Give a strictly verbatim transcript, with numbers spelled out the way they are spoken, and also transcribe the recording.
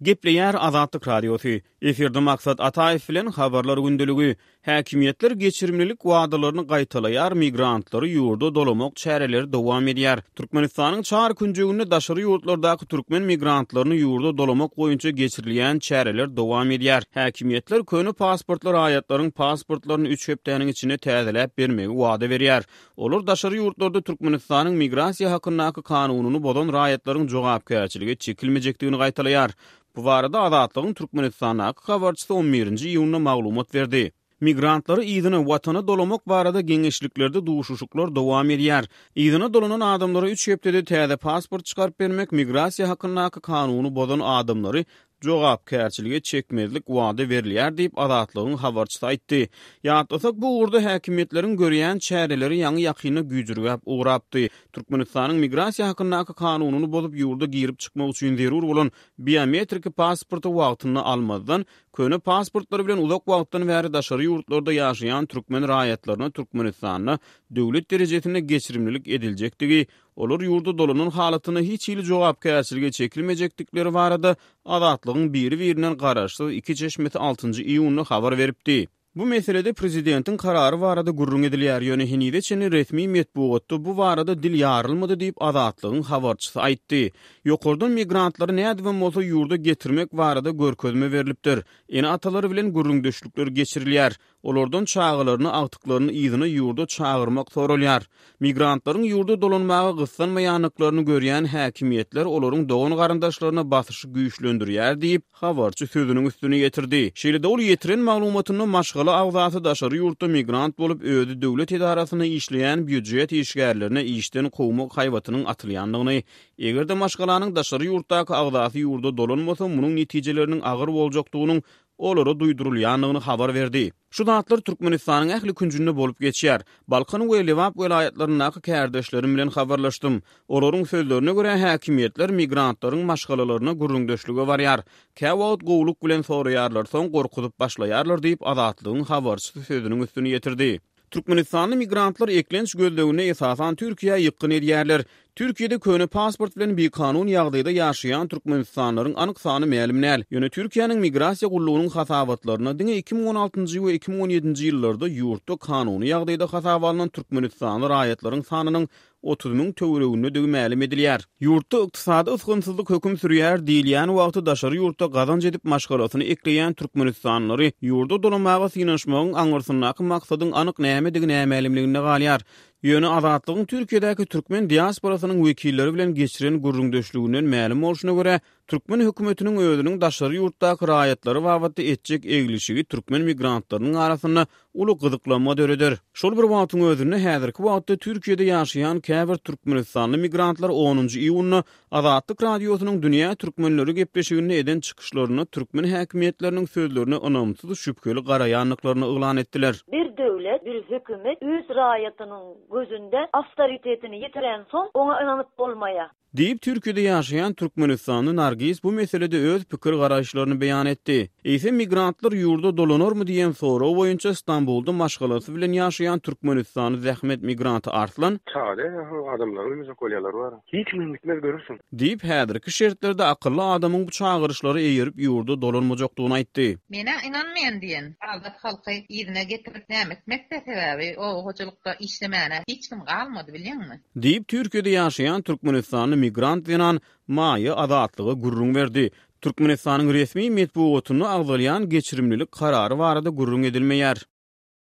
Gepleýär Azatlyk Radiosy. Efirde Maksat Ataýew bilen Habarlar gündeligi. Häkimiýetler geçirimlilik wadalaryny gaýtalaýar, migrantlary ýurda dolamak çäreleri dowam edýär. Türkmenistanyň çar künjeginde daşary ýurtlardaky türkmen migrantlaryny ýurda dolamak boýunça geçirilýän çäreler dowam edýär. Häkimiýetler köne pasportly raýatlaryň pasportlaryny üç hepdäniň içinde täzeläp bermegi wada berýär. Olar daşary ýurtlarda Türkmenistanyň migrasiýa hakyndaky kanunyny bozan raýatlaryň jogapkärçilige çekilmejekdigini gaýtalaýar. Bu barada Azatlygyň Türkmenistandaky habarçysy on birinji iýunda maglumat berdi. Migrantlary yzyna watana dolamak barada geňeşliklerde duşuşyklar dowam edýär. Yzyna dolanan adamlara üç hepdede täze pasport çykaryp bermek, migrasiýa hakyndaky kanuny bozan adamlary jogapkärçilige çekmezlik wada berilýär diýip, Azatlygyň habarçysy aýtdy. Ýatlasak, bu ugurda häkimiýetleriň görýän çäreleri ýaňy ýakynda güýjürgäp ugrapdy. Türkmenistanyň migrasiýa hakyndaky kanunyny bozup ýurda girip çykmak üçin zerur bolan biometriki pasporty wagtynda almazdan, köne pasportlary bilen uzak wagtdan bäri daşary ýurtlarda ýaşaýan türkmen raýatlaryna Türkmenistanda döwlet derejesinde geçirimlilik ediljekdigi, olar ýurda dolanan halatynda hiç hili jogapkärçilige çekilmejekdikleri barada Azatlygyň biri-birinden garaşsyz iki çeşmesi altynjy iýunda habar beripdi. Bu meselede prezidentiň karary barada gürrüň edilýär, ýöne henize çenli resmi metbugatda bu barada dil ýarylmady diýip Azatlygyň habarçysy aýtdy. Ýokardan migrantlary nädibem bolsa ýurda getirmek barada görkezme berlipdir. Ene-atalary bilen gürrüňdeşlikler geçirilýär. Olardan çagalaryny, agtyklaryny yzyna ýurda çagyrmak soralýar. Migrantlaryň ýurda dolanmaga gyssanmaýandyklaryny görýän häkimiýetler olaryň dogan garyndaşlaryna basyşy güýçlendirýär diýip, habarçy sözüniň üstüni ýetirdi. Şeýle-de ol ýetiren maglumatynda maşgala agzasy daşary ýurtda migrant bolup, özi döwlet edarasynda işleýän býujet işgärlerine işden kowmak haýbatynyň atylýandygyny, eger-de maşgalanyň daşary ýurtdaky agzasy ýurda dolanmasa, munuň netijeleriniň agyr boljakdygynyň olara duýdurylýandygyny habar berdi. Şu zatlar Türkmenistanyň ähli künjünde bolup geçýär. Balkan we Lebap welaýatlaryndaky kärdeşlerim bilen habarlaşdym. Olaryň sözlerine görä, häkimiýetler migrantlaryň maşgalalaryna gürrüňdeşlige barýar. Käwagt gowluk bilen soraýarlar, soň gorkuzyp başlaýarlar diýip, Azatlygyň habarçysy sözüniň üstüni ýetirdi. Türkmenistanly migrantlar eklenç gözleginde esasan Türkiýä ýykgyn edýärler. Türkiýede köne pasport bilen bikanun ýagdaýda ýaşaýan türkmenistanlylaryň anyk sany mälim däl. Ýöne Türkiýäniň migrasiýa gullugynyň hasabatlaryna diňe iki müň on altynjy we iki müň on ýedinji ýyllarda ýurtda kanuny ýagdaýda hasaba alnan türkmenistanly raýatlaryň sanynyň otuz müň töweregindedigi mälim edilýär. Ýurtda ykdysady ysgynsyzlyk höküm sürýär diýilýän wagty daşary ýurtda gazanç edip maşgalasyny ekleýän türkmenistanlylary ýurda dolamaga synanyşmagyň aňyrsyndaky maksadyň anyk nämedigi nämälimliginde galýar. Ýöne Azatlygyň Türkiýedäki türkmen diasporasynyň wekilleri bilen geçiren gürrüňdeşliginden mälim bolşuna görä, türkmen hökümetiniň özüniň daşary ýurtdaky raýatlary babatda etjek eglişigi türkmen migrantlarynyň arasynda uly gyzyklanma döreder. Şol bir wagtyň özünde häzirki wagtda Türkiýede ýaşaýan käbir türkmenistanly migrantlar onunjy iýunda Azatlyk Radiosynyň Dünýä Türkmenleri gepleşiginde eden çykyşlarynda türkmen häkimiýetleriniň sözlerine ynamsyz şübheli garaýandyklaryny yglan etdiler. Bir döwlet, bir hökümet öz raýatynyň gözünde awtoritetini ýitiren soň oňa ynanyp bolmaýar. Diýip, Türkiýede ýaşaýan türkmenistanly Nargiz bu meselede öz pikir garaýyşlaryny beýan etdi. Eýsem migrantlar ýurda dolanarmy diýen sorag boýunça Stambulda maşgalasy bilen ýaşaýan türkmenistanly zähmet migranty Arslan Çaga adamlar ölmejek bolýarlar bar. Hiç kim gitmez görürsün. Diýip, häzirki şertlerde akylly adamyň bu çagyryşlara eýerip ýurda dolanmajakdygyny aýtdy. Mena inanmaýan diýen azat halky yzyna getirip näme etmekde sebäbi o hojalykda işlemäne hiç kim galmady bilýäňmi? Diýip, Türkiýede ýaşaýan türkmenistanly migrant zenan Maýa Azatlyga gürrüň berdi. Türkmenistanyň resmi metbugatynda agzalýan geçirimlilik karary barada gürrüň edilmeýär.